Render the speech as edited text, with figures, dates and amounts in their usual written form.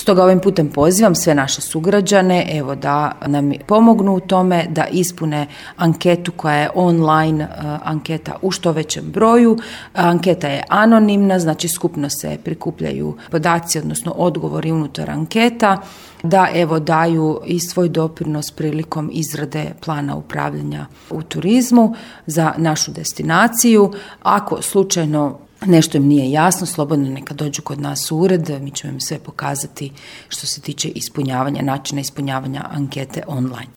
Stoga ovim putem pozivam sve naše sugrađane da nam pomognu u tome da ispune anketu koja je online anketa u što većem broju. Anketa je anonimna, znači skupno se prikupljaju podaci, odnosno odgovori unutar anketa, da daju i svoj doprinos prilikom izrade plana upravljanja u turizmu za našu destinaciju. Ako slučajno nešto im nije jasno, slobodno neka dođu kod nas u ured, mi ćemo im sve pokazati što se tiče načina ispunjavanja ankete online.